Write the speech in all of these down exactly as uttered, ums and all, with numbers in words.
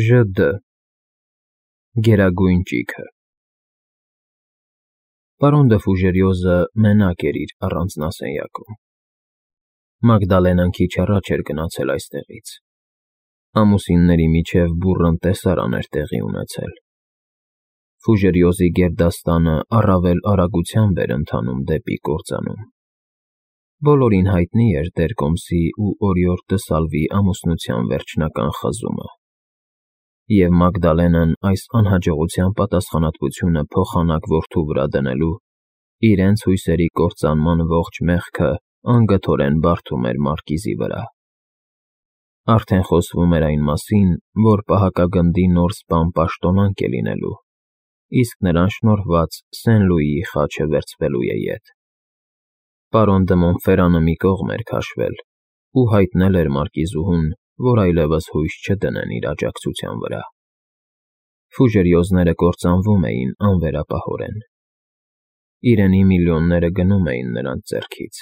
Ժ Դ Գերագույն ճիգը Պարոն դը Ֆուժերիոզը մենակ էր իր առանձնասենյակում։ Մագդալենան քիչ առաջ էր գնացել այստեղից։ Ամուսինների միջև բուռն տեսարան էր տեղի ունեցել։ Ֆուժերիոզի գերդաստանը առավել արագությամբ էր ընթանում դեպի կործանում։ Բոլորին հայտնի էր Տեր-Կոմսի ու Օրիորդ դը Սալվի ամուսնության վերջնական խզումը, և Մագդալենան այս անհաջողության պատասխանատվությունը փոխանակ որդու վրա դնելու իրենց հույսերի կործանման ողջ մեղքը անգթորեն բարդում էր մարկիզի վրա։ Արդեն խոսվում էր այն մասին, որ պահակագնդի նոր սպան պաշտոնանկ է լինելու, իսկ նրան շնորհված Սեն֊Լուիի խաչը վերցվելու է ետ։ Պարոն դը Մոնֆերանը մի կողմ էր քաշվել ու հայտնել էր մարկիզուհուն, որ այլևս հույս չդնեն իր աջակցության վրա։ Ֆուժերիոզները կործանվում էին անվերապահորեն։ Իրենի միլիոնները գնում էին նրանց ձեռքից,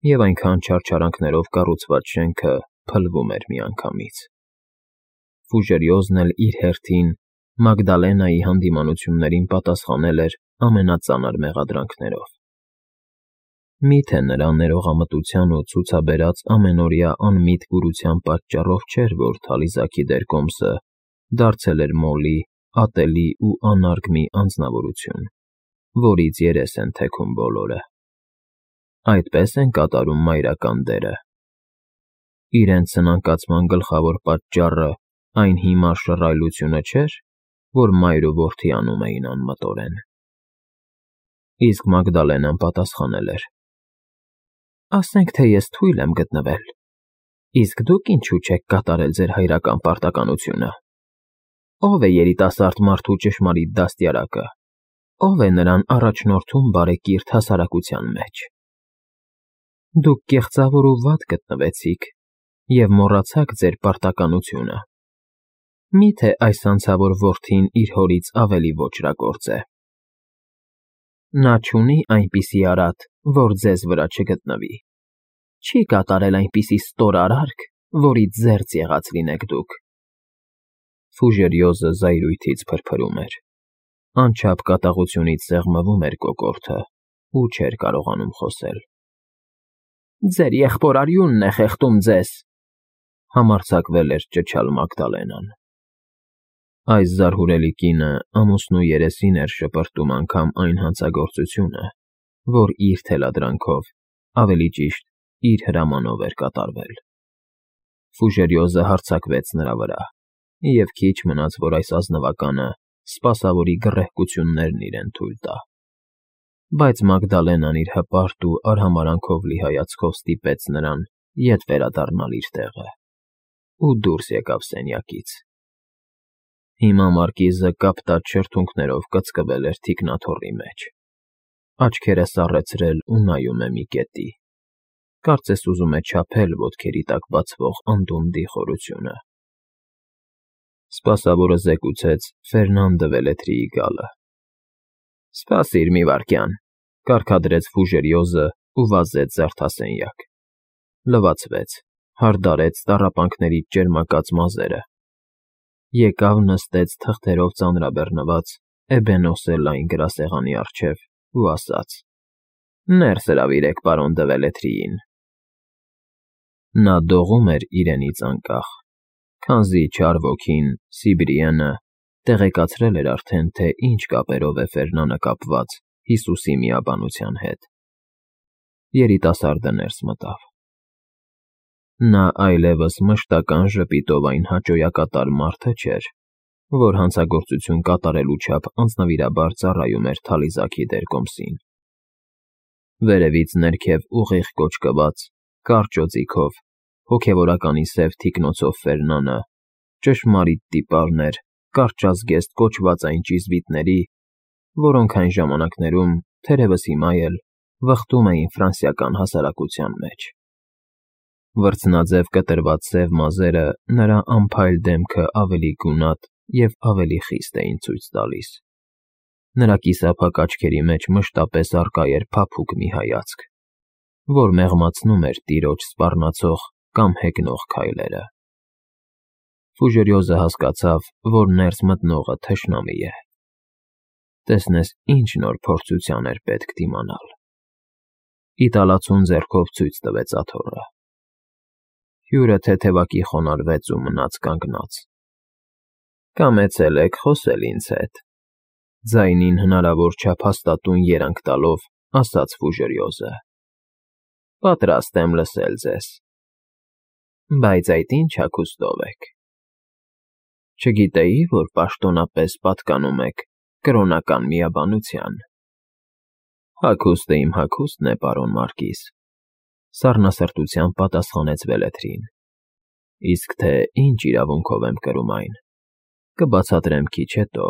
և այնքան չարչարանքներով կառուցված շենքը փլվում էր միանգամից։ Ֆուժերիոզն էլ իր հերթին Մագդալենայի հանդիմանություններին պատասխանել էր ամենածանր մեղադրանքներով։ Մի՞թե նրա ներողամտության ու ցուցաբերած ամենօրյա անմիտ կուրության պատճառով չէր, որ թալիզաքի Տեր-Կոմսը դարձել էր մոլի, ատելի ու անարգ մի անձնավորություն, որից երես են թեքում բոլորը։ Այդպես են կատարում մայրական դերը։ Իրենց սնանկացման գլխավոր պատճառը այն հիմար շռայլությունը չէր, որ մայր ու որդի անում էին անմտորեն։ Իսկ Մագդալենան պատասխանել էր. «Ասենք թե ես թույլ եմ գտնվել, իսկ դուք ինչու չեք կատարել ձեր հայրական պարտականությունը։ Ո՞վ է երիտասարդ մարդու ճշմարիտ դաստիարակը, ո՞վ է նրան առաջնորդում բարեկիրթ հասարակության մեջ։ Դուք կեղծավոր ու վատ գտնվեցիք և մոռացաք ձեր պարտականությունը։ Մի՞թե այս անցավոր որդին իր հորից ավելի ոճրագործ է։ Նա չունի այնպիսի արատ, որ ձեզ վրա չգտնվի, չի կատարել այնպիսի ստոր արարք, որից զերծ եղած լինեք դուք»։ Ֆուժերիոզը զայրույթից փրփրում էր, անչափ կատաղությունից սեղմվում էր կոկորդը ու չէր կարողանում խոսել։ «Ձեր եղբոր արյունն է խեղդում ձեզ», համարձակվել էր ճչալ Մագդալենան։ Այս զարհուրելի կինը ամուսնու երեսին էր շպրտում անգամ այն հանցագործությունը, որ իր թելադրանքով, ավելի ճիշտ, իր հրամանով էր կատարվել։ Ֆուժերիոզը հարձակվեց նրա վրա, և քիչ մնաց, որ այս ազնվականը սպասավորի գռեհկություններն իրեն թույլ տա։ Բայց Մագդալենան իր հպարտ ու արհամարհանքով լի հայացքով ստիպեց նրան ետ վերադառնալ իր տեղը ու դուրս եկավ սենյակից։ Հիմա մարկիզը կապտած շրթունքներով կծկվել էր թիկնաթոռի մեջ, աչքերը սառեցրել ու նայում է մի կետի, կարծես ուզում է չափել ոտքերի տակ բացվող անդունդի խորությունը։ Սպասավորը զեկուցեց Ֆերնան դը Վելետրիի գալը։ «Սպասիր մի վայրկյան», կարգադրեց Ֆուժերիոզը ու վազեց զարդասենյակ։ Լվացվեց, հարդարեց տառապանքներից ճերմակած մազերը, եկավ նստեց թղթերով ծանրաբեռնված էբենոսե լայն գրասեղանի առջև ու ասաց. «Ներս հրավիրեք պարոն դը Վելետրիին»։ Նա դողում էր իրենից անկախ, քանզի չար ոգին՝ Սիբրիենը, տեղեկացրել էր արդեն, թե ինչ կապերով է Ֆերնանը կապված Հիսուսի միաբանության հետ։ Երիտասարդը ներս մտավ։ Նա այլևս մշտական ժպիտով այն հաճոյակատար մարդը չէր, որ հանցագործություն կատարելու չափ անձնվիրաբար ծառայում էր թալիզաքի Տեր-Կոմսին։ Վերևից ներքև ուղիղ կոճկված, կարճ օձիքով, հոգևորականի սև թիկնոցով Ֆերնանը ճշմարիտ տիպարն էր կարճազգեստ կոչված այն ճիզվիտների, որոնք այն ժամանակներում, թերևս հիմա էլ, վխտում էին ֆրանսիական հասարակության մեջ։ Վրձնաձև կտրված սև մազերը նրա անփայլ դեմքը ավելի գունատ և ավելի խիստ էին ցույց տալիս։ Նրա կիսափակ աչքերի մեջ մշտապես առկա էր փափուկ մի հայացք, որ մեղմացնում էր տիրոջ սպառնացող կամ հեգնող քայլերը։ Ֆուժերիոզը հասկացավ, որ ներս մտնողը թշնամի է։ Տեսնես ինչ նոր փորձության էր պետք դիմանալ։ Իտալացուն ձեռքով ցույց տվեց աթոռը։ Հյուրը թեթևակի խոնարհվեց ու մնաց կանգնած։ Կամեցել եք խոսել ինձ հետ, ձայնին հնարավոր չափ հաստատուն երանգ տալով ասաց Ֆուժերիոզը։ Պատրաստ եմ լսել ձեզ։ Բայց այդ ինչ հագուստով եք։ Չգիտեի, որ պաշտոնապես պատկանում եք կրոնական միաբանության։ Հագուստը իմ հագուստն է, պարոն Մարկիս, սառնասրտությամբ պատասխանեց Վելեթրին։ Իսկ թե ինչ իրավունքով եմ կրում այն, կբացատրեմ քիչ հետո,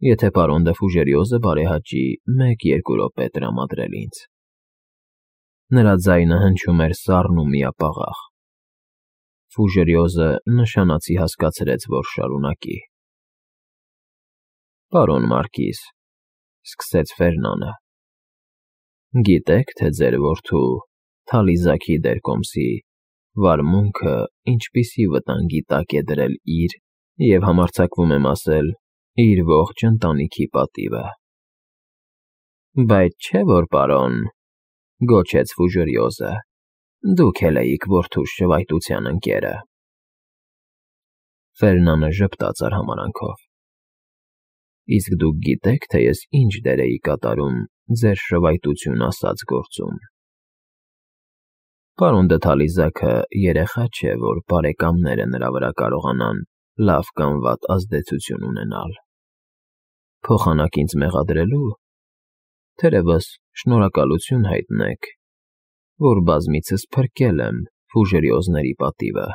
եթե պարոն դը Ֆուժերիոզը բարեհաճի մեկ֊երկու րոպե տրամադրել ինձ։ Նրա ձայնը հնչում էր սառն ու միապաղաղ։ Ֆուժերիոզը նշանացի հասկացրեց, որ շարունակի։ Պարոն Մարկիս, սկսեց Ֆերնանը, գիտեք, թե ձեր որդու Թալիզաքի դերկոմսի վարմունքը ինչպիսի վտանգի տակ է դրել իր և համարձակվում եմ ասել, իր ողջ ընտանիքի պատիվը։ Բայց չէ՞ որ, պարոն, գոչեց Ֆուժերիոզը, դուք էլ էիք որդուս շվայտության ընկերը։ Ֆերնանը ժպտաց արհամարանքով։ Իսկ դուք գիտեք, թե ես ինչ դեր էի կատարում ձեր շվայտություն ասած գործում։ Պարոն դը Թալիզաքը երեխա չէ, որ բարեկամները նրա վրա կարողանան լավ կամ վատ ազդեցություն ունենալ։ Փոխանակ ինձ մեղադրելու, թերևս շնորհակալություն հայտնեք, որ բազմիցս փրկել եմ Ֆուժերիոզների պատիվը։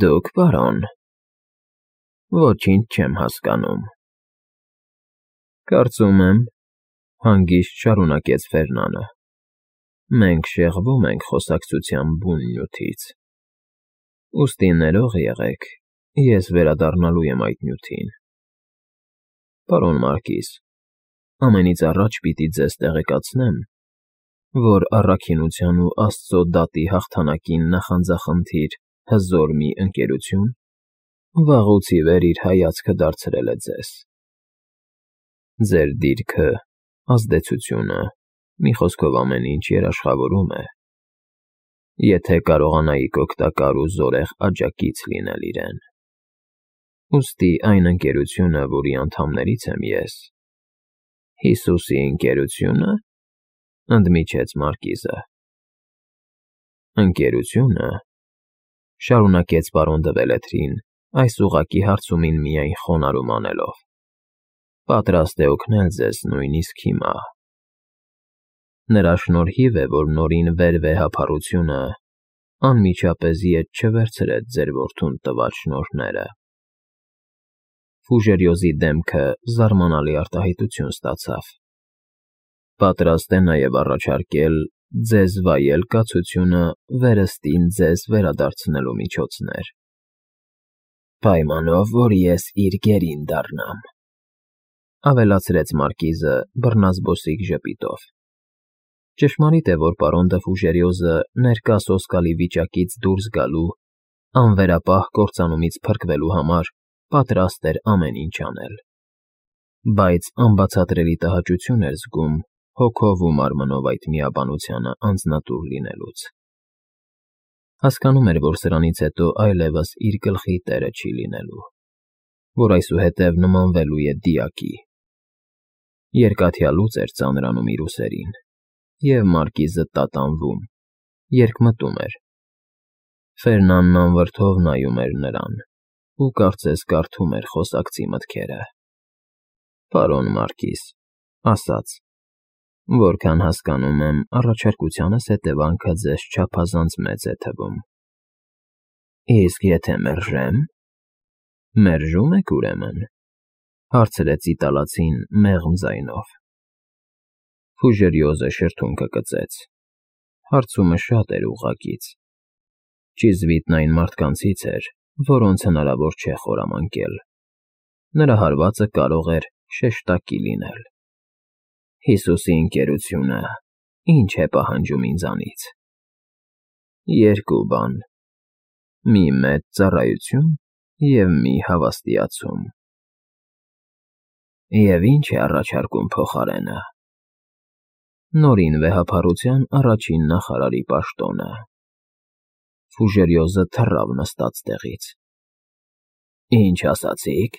Դուք, պարոն, ոչինչ չեմ հասկանում։ Կարծում եմ, հանգիստ շարունակեց Ֆերնանը, մենք շեղվում ենք խոսակցության բուն նյութից։ Ուստի ներող եղեք, ես վերադառնալու եմ այդ նյութին։ Պարոն Մարկիս, ամենից առաջ պիտի ձեզ տեղեկացնեմ, որ առաքինության ու Աստծո դատի հաղթանակին նախանձախնդիր հզոր մի ընկերություն վաղուց ի վեր իր հայացքը դարձրել է ձեզ։ Ձեր դիրքը, ազդեցությունը, մի խոսքով ամեն ինչ երաշխավորում է։ Եթե կարողանայիք օգտակար ու զորեղ աջակից լինել իրեն։ Ուստի այն ընկերությունը, որի անդամներից եմ ես, Հիսուսի ընկերությո՞ւնը, ընդմիջեց Մարկիզը։ Ընկերությունը, շարունակեց պարոն դը Վելեթրին, այս ուղղակի հարցումին միայն խոնարհում անելով, պատրաստ է օգնել ձեզ նույնիսկ հիմա։ Նրա շնորհիվ է, որ նորին վերվեհափառությունը անմիջապես ետ չվերցրեց ձեր որդուն տված շնորհները։ Ֆուժերիոզի դեմքը զարմանալի արտահայտություն ստացավ։ Պատրաստ է նաև առաջարկել ձեզ վայել կացությունը վերստին ձեզ վերադարձնելու միջոցներ։ Պայմանով, որ ես իր գերին դառնամ, ավելացրեց Մարկիզը բռնազբոսիկ ժպիտով։ Ճշմարիտ է, որ պարոն դը Ֆուժերիոզը ներկա սոսկալի վիճակից դուրս գալու, անվերապահ կործանումից փրկվելու համար պատրաստ էր ամեն ինչ անել, բայց անբացատրելի տհաճություն էր զգում հոգով ու մարմնով այդ միաբանությանը անձնատուր լինելուց։ Հասկանում էր, որ սրանից հետո այլևս իր գլխի տերը չի լինելու, որ այսուհետև նմանվելու է դիակի։ Երկաթյա լուծ էր ծանրանում իր ուսերին, և Մարկիզը տատանվում, երկմտում էր։ Ֆերնանն անվրդով նայում էր նրան ու կարծես կարդում էր խոսակցի մտքերը։ Պարոն Մարկիս, ասաց, որքան հասկանում եմ, առաջարկությանս հետևանքը ձեզ չափազանց մեծ է թվում։ Իսկ եթե մերժեմ։ Մերժում եք, ուրեմն, հարցրեց իտալացին մեղմ ձայնով։ Ֆուժերիոզը շրթունքը կծեց։ Հարցումը շատ էր ուղղակից։ Ճիզվիտն այն մարդկանցից էր, որոնց հնարավոր չէ խորամանկել։ Նրա հարվածը կարող էր շեշտակի լինել։ Հիսուսի ընկերությունը ի՞նչ է պահանջում ինձանից։ Երկու բան։ մի մեծ ծառայություն և մի հավաստիացում։ Եվ ի՞նչ է առաջարկում փոխարենը։ Նորին վեհափառության առաջին նախարարի պաշտոնը։ Ֆուժերիոզը թռավ նստած տեղից։ Ինչ ասացիք։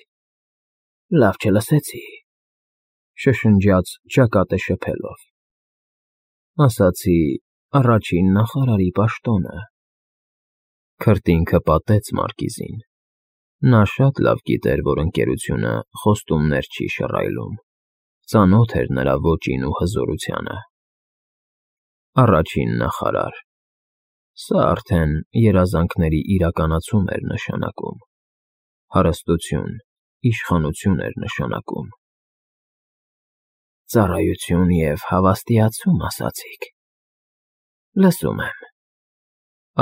Լավ չլսեցի,֊ շշնջաց ճակատը շփելով։ Ասացի առաջին նախարարի պաշտոնը։ Քրտինքը պատեց մարկիզին։ Նա շատ լավ գիտեր, որ ընկերությունը խոստումներ չի շռայլում, ծանոթ էր նրա ոճին ու հզորությանը։ Առաջին նախարար… Սա արդեն երազանքների իրականացում էր նշանակում, հարստություն, իշխանություն էր նշանակում։ Ծառայություն և հավաստիացում ասացիք։ Լսում եմ,֊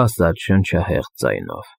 ասաց շնչահեղձ ձայնով։